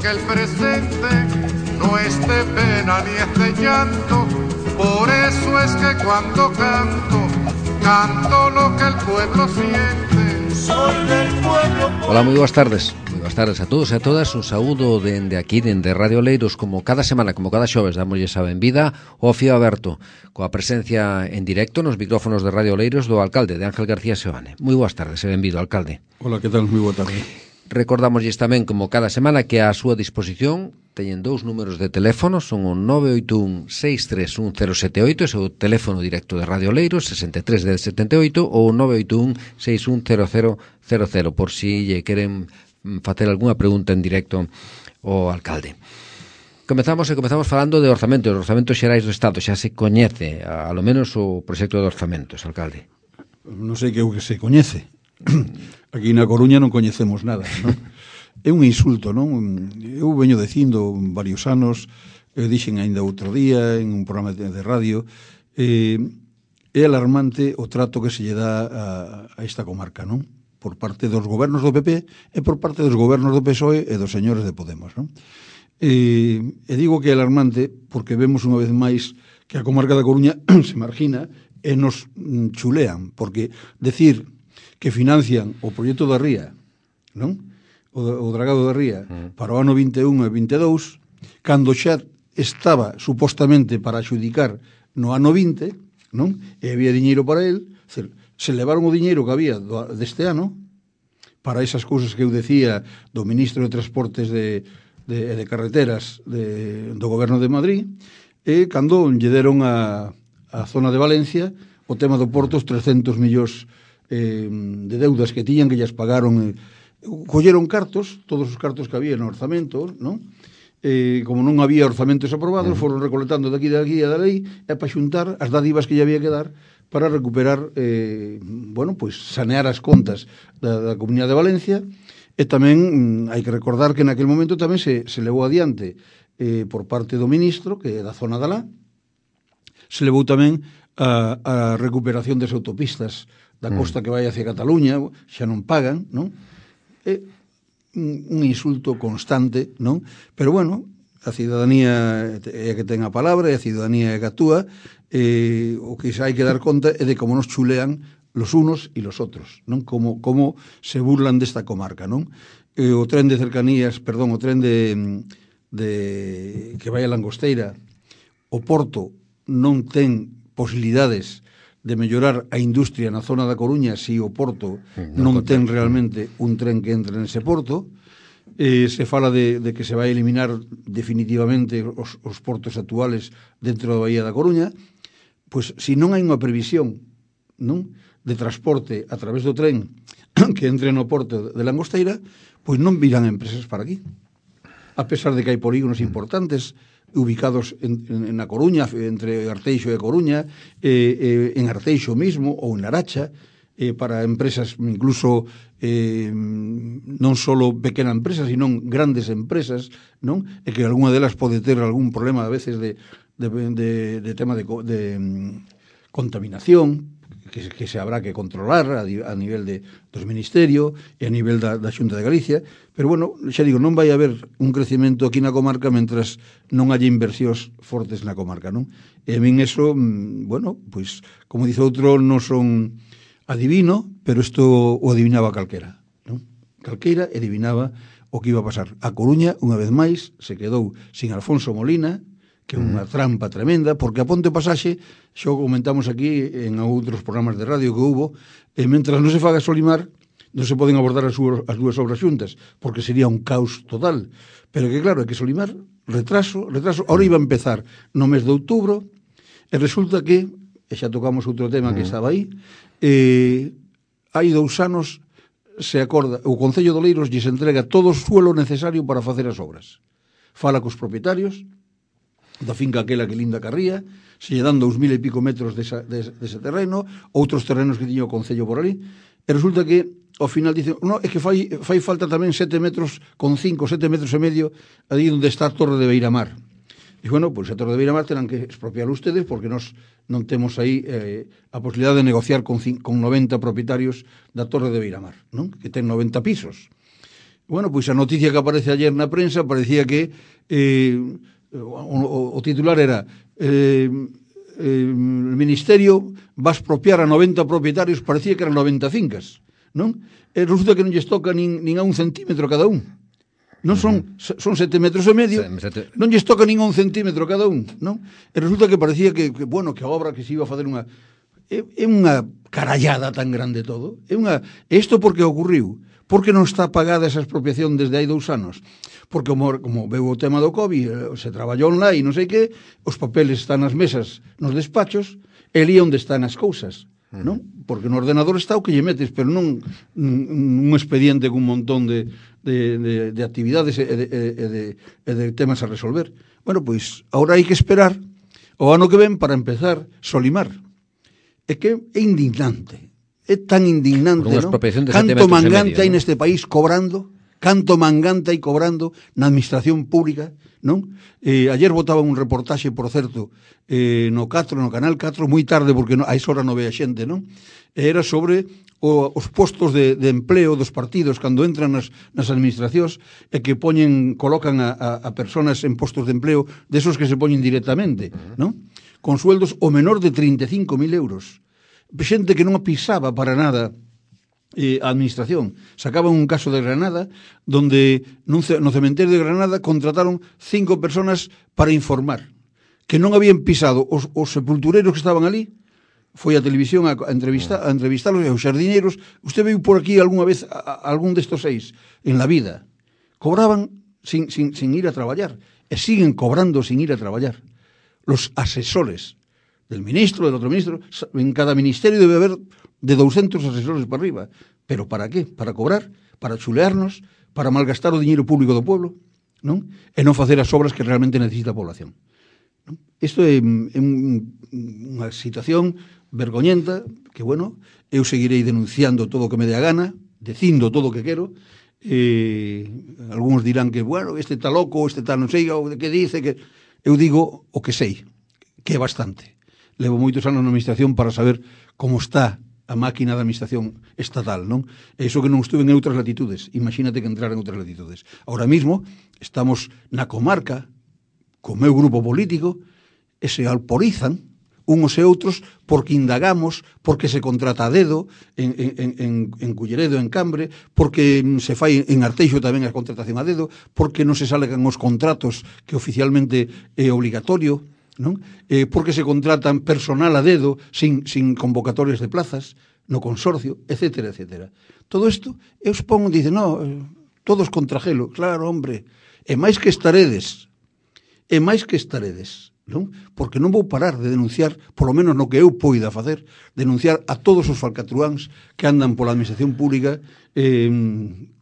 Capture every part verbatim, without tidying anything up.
que el presente no es de pena ni es de llanto. Por eso es que cuando canto, canto lo que el pueblo siente. Soy del pueblo. Hola, moi boas tardes. Moi boas tardes a todos e a todas. Un saúdo dende aquí, dende Radio Oleiros, como cada semana, como cada xoves, damoslle a benvida ao Fío Aberto, coa presencia en directo nos micrófonos de Radio Oleiros do alcalde, de Ángel García Seoane. Moi boas tardes e benvido, alcalde. Hola, que tal? Moi boa tarde. Recordamosles tamén, como cada semana, que a súa disposición teñen dous números de teléfono, son o nove oito un seis tres un cero sete oito, ese é o teléfono directo de Radio Oleiros, sesenta e tres dez setenta e oito, ou nove oito un seis un cero cero cero cero, por si lle queren facer algunha pregunta en directo ao alcalde. Comezamos e comezamos falando de orzamento, de orzamentos xerais do Estado. Xa se coñece, a lo menos, o proxecto de orzamentos, alcalde. Non sei que o que se coñece. Aquí na Coruña non coñecemos nada, non? É un insulto, non? Eu veño dicindo varios anos, eu dixen ainda outro día en un programa de radio, eh, é alarmante o trato que se lle dá a, a esta comarca, non? Por parte dos gobernos do P P e por parte dos gobernos do P S O E e dos señores de Podemos, non? E, e digo que é alarmante porque vemos unha vez máis que a comarca da Coruña se margina e nos chulean, porque decir que financian o proxecto da Ría, non? O, o dragado da Ría, para o ano vinte e un e vinte e dous, cando xa estaba supostamente para adxudicar no ano vinte, non? E había diñeiro para el, se, se levaron o diñeiro que había do, deste ano para esas cousas que eu decía do ministro de Transportes de, de, de Carreteras de, do goberno de Madrid, e cando lle deron a, a zona de Valencia o tema do Porto, os trescentos millóns eh, de deudas que tiñan, que llas pagaron, eh, colleron cartos, todos os cartos que había no orzamento, non? Eh, como non había orzamentos aprobados, foron recolectando daqui de aquí e da lei, e para xuntar as dádivas que lle había que dar para recuperar, eh, bueno, pois sanear as contas da, da Comunidade de Valencia. E tamén mm, hai que recordar que naquele momento tamén se, se levou adiante eh, por parte do ministro, que é da zona da Lá, se levou tamén a, a recuperación das autopistas da costa que vai hacia Cataluña, xa non pagan, non? É un, un insulto constante, non? Pero bueno, a cidadanía é a que ten a palabra, e a cidadanía é a que actúa, e o que hai que dar conta é de como nos chulean los unos e los outros, non? Como, como se burlan desta comarca, non? E o tren de cercanías, perdón, o tren de, de que vai a Langosteira, o Porto non ten posibilidades de mellorar a industria na zona da Coruña se o Porto non ten realmente un tren que entre nese porto. Eh, se fala de, de que se vai eliminar definitivamente os, os portos actuales dentro da Bahía da Coruña. Pois, se non hai unha previsión, non, de transporte a través do tren que entre no porto de Langosteira, pois non virán empresas para aquí. A pesar de que hai polígonos importantes ubicados en, en, en A Coruña, entre Arteixo e Coruña, eh, eh, en Arteixo mismo ou en Laracha, eh, para empresas incluso eh, non só pequena empresa, sino grandes empresas, non? E que algunha delas pode ter algún problema a veces de, de, de, de tema de, de um, contaminación, que, que se habrá que controlar a, a nivel de, dos ministerios e a nivel da, da Xunta de Galicia. Pero, bueno, xa digo, non vai haber un crecemento aquí na comarca mentras non haya inversións fortes na comarca, non? E a min eso, bueno, pois, como dice outro, non son adivino, pero isto o adivinaba calquera, non? Calquera adivinaba o que iba a pasar. A Coruña, unha vez máis, se quedou sin Alfonso Molina, que é unha trampa tremenda, porque a Ponte Pasaxe, xo comentamos aquí en outros programas de radio que hubo, e mentras non se faga Solimar, non se poden abordar as, súas, as dúas obras xuntas, porque sería un caos total. Pero que claro, é que Solimar, retraso, retraso, ahora iba a empezar no mes de outubro, e resulta que, e xa tocamos outro tema que estaba aí, eh, hai dous anos se acorda, o Concello de Oleiros lles entrega todo o suelo necesario para facer as obras. Fala cos propietarios da finca aquela que linda Carría, se lle dan dous mil e pico metros desa, dese, dese terreno, outros terrenos que tiña o Concello por ali, e resulta que ao final dice, no, é que fai, fai falta tamén sete metros con cinco, sete metros e medio ali onde está a Torre de Beiramar. E bueno, pois a Torre de Beiramar terán que expropiar ustedes porque nós non temos aí eh, a posibilidade de negociar con, con noventa propietarios da Torre de Beiramar, non? Que ten noventa pisos. Bueno, pois a noticia que aparece ayer na prensa parecía que eh, o, o titular era eh, eh, el Ministerio va a expropiar a noventa propietarios, parecía que eran noventa fincas, non? E resulta que non lles toca nin, nin a un centímetro cada un. Non son, son sete metros e medio, non lles toca nin a un centímetro cada un, non? E resulta que parecía que, que bueno, que a obra que se iba a facer unha... É, é unha carallada tan grande todo. É unha... Isto por que ocorriu? Porque non está pagada esa expropiación desde hai dous anos? Porque como, como veu o tema do COVID, se traballou online, non sei que, os papeles están nas mesas, nos despachos, e ali onde están as cousas, non? Porque no ordenador está o que lle metes, pero non un expediente con un montón de, de, de, de actividades e de, e, de, e de temas a resolver. Bueno, pois, agora hai que esperar o ano que ven para empezar Solimar. É que é indignante, é tan indignante, non? Canto mangante hai neste país cobrando, canto mangante hai cobrando na administración pública, non? Eh, ayer botaba un reportaxe, por certo, eh, no catro, no Canal catro, moi tarde, porque no, a esa hora non ve a xente, non? Era sobre o, os postos de, de empleo dos partidos cando entran nas, nas administracións e que poñen, colocan a, a, a personas en postos de empleo desos que se poñen directamente, non? Con sueldos o menor de trinta e cinco mil euros. Xente que non pisaba para nada eh, a administración. Sacaban un caso de Granada donde nun, no cementerio de Granada contrataron cinco personas para informar que non habían pisado os, os sepultureiros que estaban ali. Foi a televisión a, a, entrevista, a entrevistarlos e os xardineiros. Usted viu por aquí algunha vez a, a, algún destos seis en la vida. Cobraban sin, sin, sin ir a traballar e siguen cobrando sin ir a traballar. Los asesores del ministro, del otro ministro, en cada ministerio debe haber de doscientos asesores para arriba. Pero para qué? Para cobrar, para chulearnos, para malgastar o diñeiro público do pueblo, non? E non facer as obras que realmente necesita a población. Non? Isto é, é un, unha situación vergoñenta que, bueno, eu seguirei denunciando todo o que me dé a gana, dicindo todo o que quero. Eh, algúns dirán que, bueno, este está loco, este está non sei, o que dice que... Eu digo o que sei, que é bastante. Levo moitos anos na administración para saber como está a máquina da administración estatal, non? E iso que non estuve en outras latitudes. Imagínate que entrar en outras latitudes. Ahora mismo estamos na comarca, co meu grupo político, e se alporizan unos e outros porque indagamos, porque se contrata a dedo en, en, en, en Culleredo, en Cambre, porque se fai en Arteixo tamén a contratación a dedo, porque non se salgan os contratos que oficialmente é obligatorio, non? Eh, porque se contratan personal a dedo sin, sin convocatorias de plazas no consorcio, etcétera, etcétera. Todo isto, eu supongo, dice, no, todos contra Gelo. Claro, hombre, e máis que estaredes, e máis que estaredes, non? Porque non vou parar de denunciar, polo menos no que eu poida facer, denunciar a todos os falcatruáns que andan pola administración pública eh,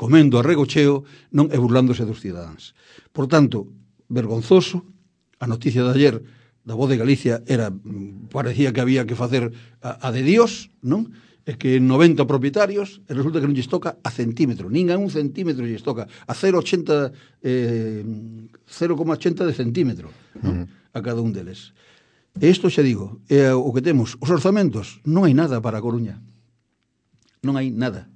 comendo a regocheo, non, e burlándose dos cidadáns. Por tanto, vergonzoso, a noticia de ayer da Voz de Galicia era, parecía que había que facer a, a de Dios, non? É que noventa propietarios, e resulta que non lles toca a centímetro, nin a un centímetro lles toca, a cero coma ochenta eh, cero coma ochenta de centímetro, non? Uh-huh. A cada un deles. E isto xa digo, é o que temos. Os orzamentos, non hai nada para a Coruña. Non hai nada.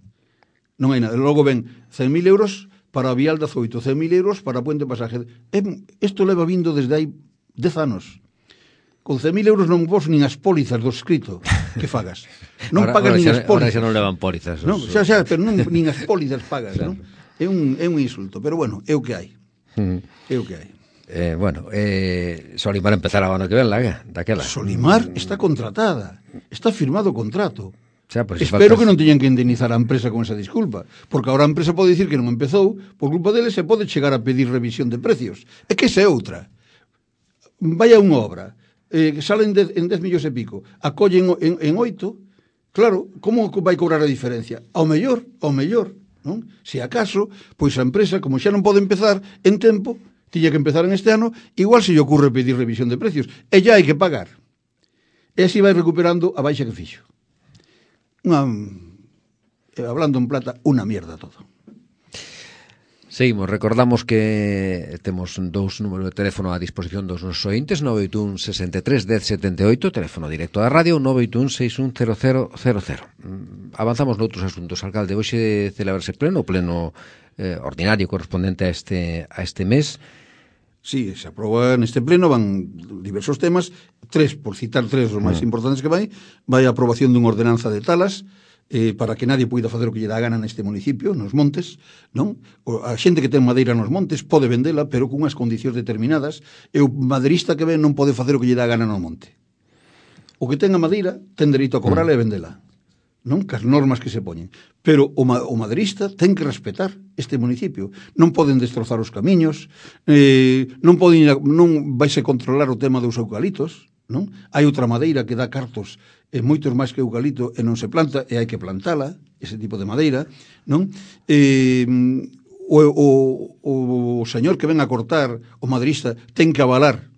Non hai nada. Logo ven cen mil euros para a Vial de Azoito, cen mil euros para a Puente Pasaje. Isto leva vindo desde hai dez anos. Con cen mil euros non vos nin as pólizas do escrito que fagas. Non ahora, pagas ahora nin xa, as pólizas. Ahora xa non levan pólizas. Non, xa, xa, pero non, nin as pólizas pagas, non? É un, é un insulto, pero bueno, é o que hai. Uh-huh. É o que hai. Eh, bueno, eh, Solimar empezará o ano que ven, la, daquela. Solimar está contratada, está firmado o contrato. Xa, pues, espero faltas... que non teñan que indemnizar a empresa con esa disculpa, porque agora a empresa pode dicir que non empezou, por culpa deles se pode chegar a pedir revisión de precios. É que esa é outra. Vaya unha obra, eh, que salen de, en dez millóns e pico, acollen en, en oito, claro, como vai cobrar a diferencia? Ao mellor, ao mellor, non? Se acaso, pois a empresa, como xa non pode empezar en tempo, tiña que empezar en este ano, igual se lle ocurre pedir revisión de precios, e ya hai que pagar. E así vai recuperando a baixa que fixo. Unha, hablando en plata, unha mierda todo. Seguimos, recordamos que temos dous números de teléfono a disposición dos nosos ointes, nove oito un sesenta e tres dez setenta e oito, teléfono directo da radio, nove oito un seis un cero cero cero cero. Avanzamos noutros asuntos, alcalde. Hoxe celebrarse pleno, pleno eh, ordinario correspondente a este, a este mes. Sí, se aproba neste pleno, van diversos temas, tres, por citar tres os máis mm. importantes que vai, vai a aprobación dunha ordenanza de talas, eh, para que nadie poida facer o que lle dá gana neste municipio, nos montes, non? A xente que ten madeira nos montes pode vendela, pero con unhas condicións determinadas, e o maderista que ven non pode facer o que lle dá gana no monte. O que ten a madeira ten dereito a cobrarla mm. e vendela, non? Cas normas que se poñen. Pero o, ma o maderista ten que respetar este municipio. Non poden destrozar os camiños, eh, non poden a, non vaise controlar o tema dos eucalitos, non? Hai outra madeira que dá cartos e moitos máis que eucalito e non se planta, e hai que plantala, ese tipo de madeira, non? Eh, o, o, o señor que ven a cortar, o maderista, ten que avalar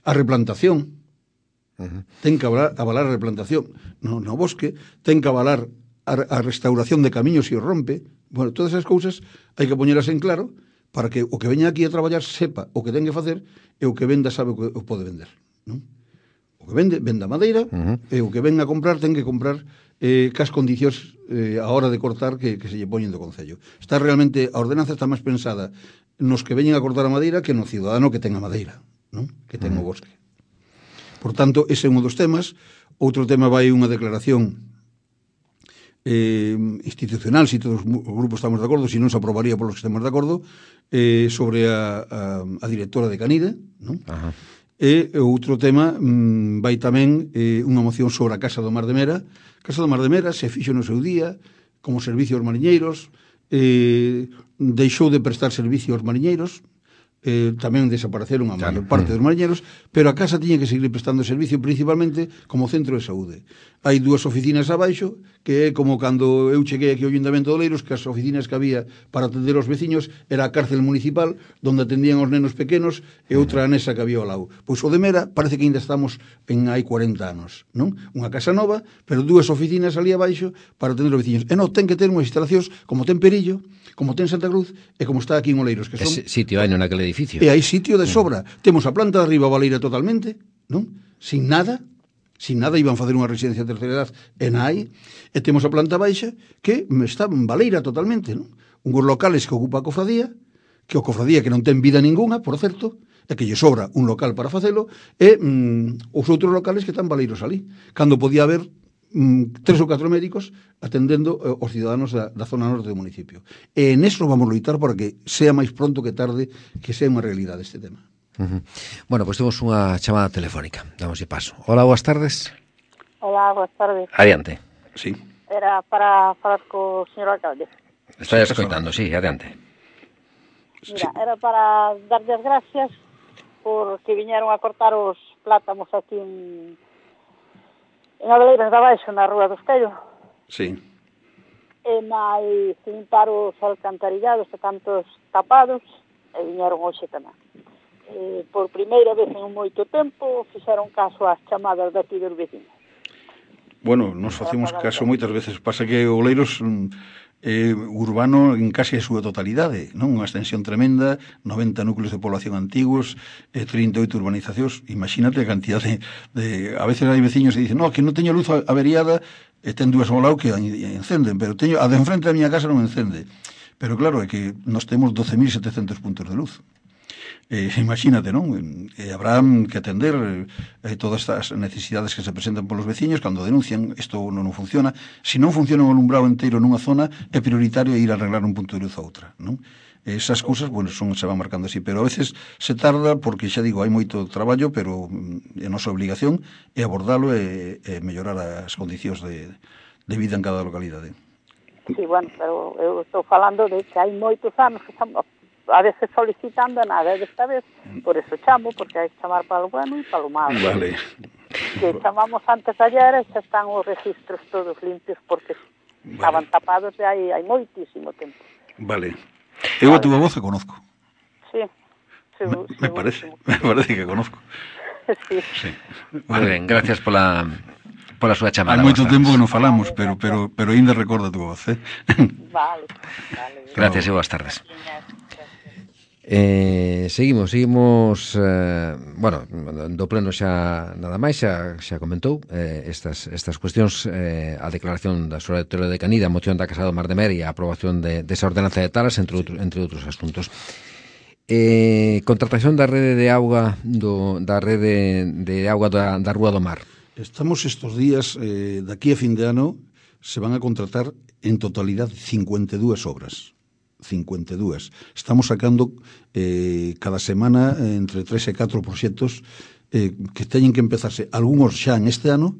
a replantación, uh-huh. ten que avalar, avalar a replantación no, no bosque, ten que avalar a, a restauración de camiños e o rompe. Bueno, todas esas cousas hai que poñelas en claro para que o que veña aquí a traballar sepa o que ten que facer e o que venda sabe o que o pode vender, non? O que vende, venda madeira, uh-huh. e o que ven a comprar ten que comprar eh, cas condicións eh, a hora de cortar que, que se lle poñen do Concello. Está realmente, a ordenanza está máis pensada nos que veñen a cortar a madeira que no cidadano que ten a madeira, non? Que ten uh-huh. o bosque. Por tanto, ese é un dos temas. Outro tema vai unha declaración eh, institucional, se si todos os grupos estamos de acordo, se si non se aprobaría polos que estamos de acordo, eh, sobre a, a, a directora de Canide, non? Ajá. E outro tema mm, vai tamén eh, unha moción sobre a Casa do Mar de Mera. A Casa do Mar de Mera se fixo no seu día como servicio aos mariñeiros, eh, deixou de prestar servicio aos mariñeiros, eh, tamén desapareceron a maior parte dos mariñeiros, pero a casa tiña que seguir prestando servicio principalmente como centro de saúde. Hai dúas oficinas abaixo, que é como cando eu cheguei aquí ao Ayuntamiento de Oleiros, que as oficinas que había para atender aos veciños era a cárcel municipal, donde atendían os nenos pequenos, e outra anexa que había ao lado. Pois o de Mera parece que ainda estamos en hai cuarenta anos, non? Unha casa nova, pero dúas oficinas ali abaixo para atender os veciños. E non, ten que ter unhas instalacións como ten Perillo, como ten Santa Cruz e como está aquí en Oleiros, que son... Ese sitio hai naquele edificio. E hai sitio de sobra. Mm. Temos a planta de arriba baleira totalmente, non? Sin nada, sin nada, iban facer unha residencia de terceira edad e na hai, e temos a planta baixa que está baleira totalmente, non? Unhos locales que ocupa a cofradía, que o cofradía que non ten vida ninguna, por certo, e que lle sobra un local para facelo, e mm, os outros locales que están baleiros ali. Cando podía haber mm, tres ou catro médicos atendendo eh, os ciudadanos da, da zona norte do municipio. E en eso vamos a loitar para que sea máis pronto que tarde que sea unha realidade este tema. Uh-huh. Bueno, pois pues temos unha chamada telefónica. Damos paso. Hola, boas tardes. Hola, boas tardes. Adiante. Sí. Era para falar co señor alcalde. Está escoitando, sí, adiante. Mira, era para darlle as gracias porque viñeron a cortar os plátamos aquí en, en Abeleiras da Baixo, na Rúa dos Tello. Sí. E máis limpar os alcantarillados e tantos tapados, e viñeron hoxe tamén. E, por primeira vez en moito tempo fixeron caso ás chamadas de aquí dos vecinos. Bueno, nos facemos caso moitas veces. Pasa que Oleiros é urbano en case a súa totalidade, non? Unha extensión tremenda, noventa núcleos de población antigos, e trinta e oito urbanizacións. Imagínate a cantidad de, de... A veces hai veciños que dicen, no, que non teño luz averiada, e ten dúas ao lado que encenden, pero teño a de enfrente da miña casa non encende. Pero claro, é que nós temos doce mil setecentos puntos de luz. Eh, imagínate, non? Eh, habrá que atender eh, todas estas necesidades que se presentan polos veciños cando denuncian isto non, non funciona. Se non funciona un alumbrado inteiro nunha zona, é prioritario ir a arreglar un punto de luz a outra, non? Esas cousas, bueno, son, se van marcando así, pero a veces se tarda porque, xa digo, hai moito traballo, pero a nosa obligación é abordalo e, e mellorar as condicións de, de vida en cada localidade. Sí, bueno, pero eu estou falando de que hai moitos anos que estamos a veces solicitando nada, desta vez, por eso chamo, porque hai que chamar para o bueno e para o malo. Vale. Que chamamos antes ayer e xa están os registros todos limpios, porque vale. Estaban tapados de hai, hai moitísimo tempo. Vale. Eu a túa voz a conozco. Sí. sí me, me parece, me parece que conozco. Sí. Sí. Vale. Muy ben, gracias pola... pola súa chamada. Hai moito tempo que non falamos, pero pero pero aínda recordo a túa voz, eh? Vale, vale. Gracias e boas tardes. Eh, seguimos, seguimos eh, bueno, do pleno xa nada máis xa, xa comentou eh, estas, estas cuestións eh, a declaración da Sola de Toro de Canida, a moción da Casa do Mar de Mer e a aprobación de, desa ordenanza de talas, entre, outro, entre outros asuntos. Eh, contratación da rede de auga do, da rede de auga da, da Rúa do Mar. Estamos estos días, eh, daqui a fin de ano se van a contratar en totalidad cincuenta e dúas obras. cincuenta e dúas. Estamos sacando eh, cada semana eh, entre tres e catro proxectos eh, que teñen que empezarse, algúns xa en este ano,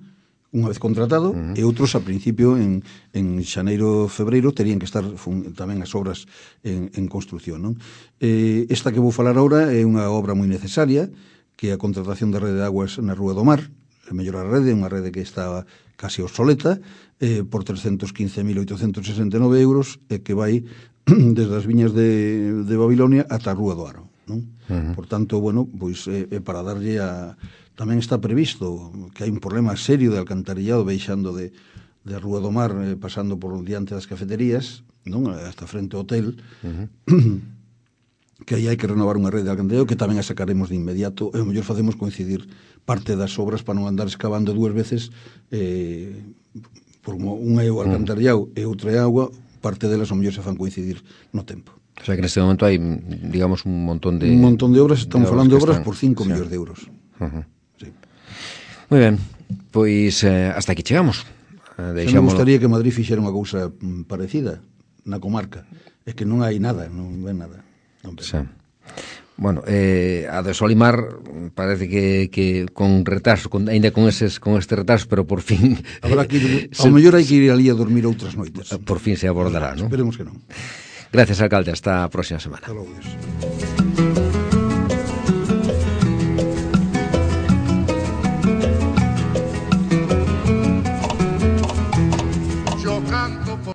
unha vez contratado, uh-huh. e outros a principio en, en xaneiro, febreiro terían que estar fun, tamén as obras en, en construcción, non? Eh, esta que vou falar agora é unha obra moi necesaria, que é a contratación da rede de aguas na Rúa do Mar, a mellorar a rede, unha rede que está casi obsoleta, eh, por trescentos quince mil oitocentos sesenta e nove euros, e que vai desde as viñas de, de Babilonia ata a Rúa do Aro, non? Uh-huh. Por tanto, bueno, pois é, é para darlle a... Tamén está previsto que hai un problema serio de alcantarillado baixando de, de a Rúa do Mar, eh, pasando por diante das cafeterías, non? Hasta frente ao hotel, uh-huh. que aí hai que renovar unha rede de alcantarillado que tamén a sacaremos de inmediato, e o mellor facemos coincidir parte das obras para non andar excavando dúas veces, eh, por unha é o alcantarillado e outra é agua, parte delas o mellor se fan coincidir no tempo. O sea que neste momento hai, digamos, un montón de... Un montón de obras, estamos de falando de obras están... por cinco sí. millóns de euros. Uh-huh. Sí. Moi ben, pois eh, hasta aquí chegamos. Eh, Xa me gustaría que Madrid fixera unha cousa parecida na comarca. É que non hai nada, non ven nada. Non ven. Sí. Bueno, eh, a de Solimar parece que, que con retraso, con, ainda con eses con este retraso, pero por fin... Habrá que ir, ao mellor hai que ir ali a dormir outras noites. Por fin se abordará, non? Esperemos que non. Gracias, alcalde. Hasta a próxima semana. Hasta logo, Dios. Yo canto por